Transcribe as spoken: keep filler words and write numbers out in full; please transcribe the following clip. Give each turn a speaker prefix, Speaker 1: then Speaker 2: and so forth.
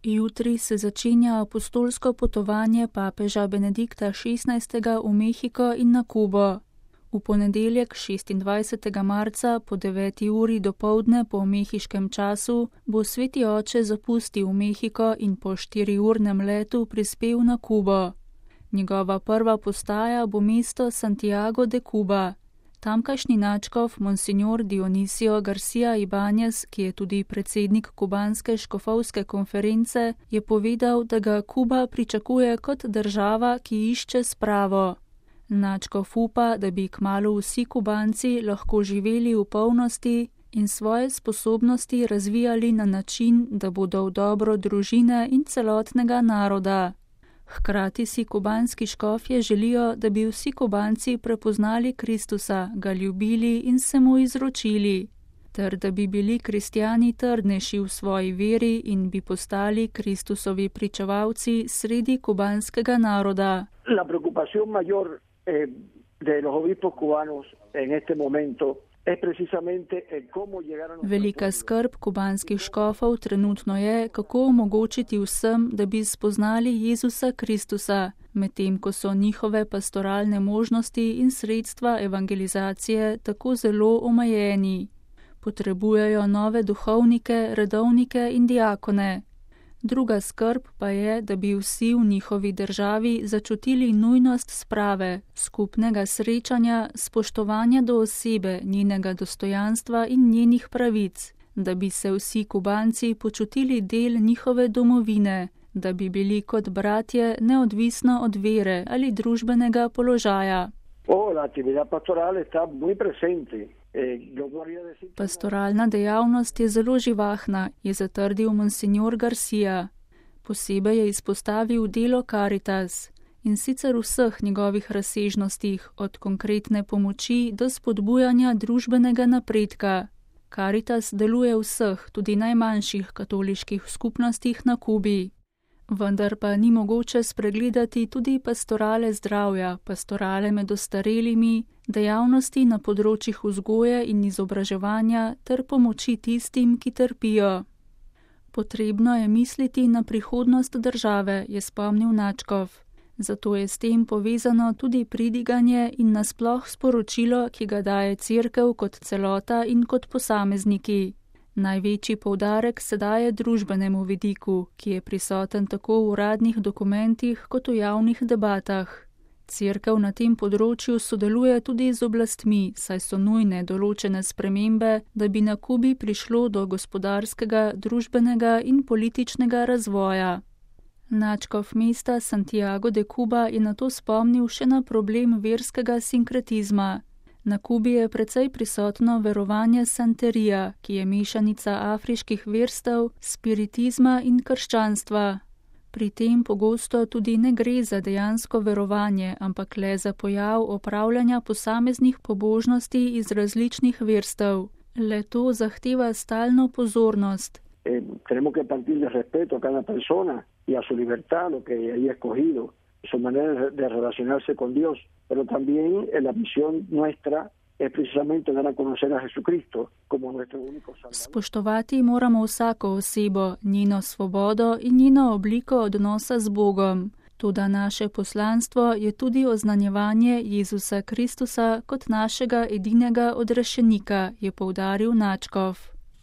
Speaker 1: Jutri se začenja apostolsko potovanje papeža Benedikta šestnajstega v Mehiko in na Kubo. V ponedeljek šestindvajsetega marca po deveti uri dopoldne po mehiškem času bo sveti oče zapustil Mehiko in po štiriurnem letu prispel na Kubo. Njegova prva postaja bo mesto Santiago de Cuba. Tamkajšnji nadškof Monsignor Dionisio Garcia Ibanez, ki je tudi predsednik kubanske škofovske konference, je povedal, da ga Kuba pričakuje kot država, ki išče spravo. Nadškof upa, da bi kmalu vsi Kubanci lahko živeli v polnosti in svoje sposobnosti razvijali na način, da bodo v dobro družine in celotnega naroda. Hkrati si kubanski škofje želijo, da bi vsi Kubanci prepoznali Kristusa, ga ljubili in se mu izročili, ter da bi bili kristjani trdnejši v svoji veri in bi postali Kristusovi pričevalci sredi kubanskega naroda.
Speaker 2: La preocupación mayor eh, de los obispos cubanos en este momento
Speaker 1: Velika skrb kubanskih škofov trenutno je, kako omogočiti vsem, da bi spoznali Jezusa Kristusa, medtem ko so njihove pastoralne možnosti in sredstva evangelizacije tako zelo omejeni. Potrebujejo nove duhovnike, redovnike in diakone. Druga skrb pa je, da bi vsi v njihovi državi začutili nujnost sprave, skupnega srečanja, spoštovanja do osebe, njenega dostojanstva in njenih pravic, da bi se vsi Kubanci počutili del njihove domovine, da bi bili kot bratje neodvisno od vere ali družbenega položaja.
Speaker 2: Oh, la actividad pastoral está muy presente.
Speaker 1: Pastoralna dejavnost je zelo živahna, je zatrdil Monsignor Garcia. Posebej je izpostavil delo Caritas in sicer v vseh njegovih razsežnostih, od konkretne pomoči do spodbujanja družbenega napredka. Caritas deluje v vseh, tudi najmanjših katoliških skupnostih na Kubi. Vendar pa ni mogoče spregledati tudi pastorale zdravja, pastorale med ostarelimi, dejavnosti na področjih vzgoje in izobraževanja ter pomoči tistim, ki trpijo. Potrebno je misliti na prihodnost države, je spomnil nadškof. Zato je s tem povezano tudi pridiganje in nasploh sporočilo, ki ga daje Cerkev kot celota in kot posamezniki. Največji poudarek se daje družbenemu vidiku, ki je prisoten tako v uradnih dokumentih kot v javnih debatah. Cerkev na tem področju sodeluje tudi z oblastmi, saj so nujne določene spremembe, da bi na Kubi prišlo do gospodarskega, družbenega in političnega razvoja. Nadškof mesta Santiago de Cuba je nato spomnil še na problem verskega sinkretizma. Na Kubi je precej prisotno verovanje santerija, ki je mešanica afriških verstev, spiritizma in krščanstva. Pri tem pogosto tudi ne gre za dejansko verovanje, ampak le za pojav opravljanja posameznih pobožnosti iz različnih verstev. Le to zahteva stalno pozornost.
Speaker 2: Eh, tenemos que partir de respeto a cada persona y a su libertad, lo que haya escogido, su manera de relacionarse con Dios, pero también en la misión nuestra es precisamente dar a conocer a Jesucristo como nuestro único Salvador.
Speaker 1: Spoštovati moramo vsako osebo, njeno svobodo in njeno obliko odnosa z Bogom. Toda naše poslanstvo je tudi oznanjevanje Jezusa Kristusa kot našega edinega odrešenika, je poudaril nadškof.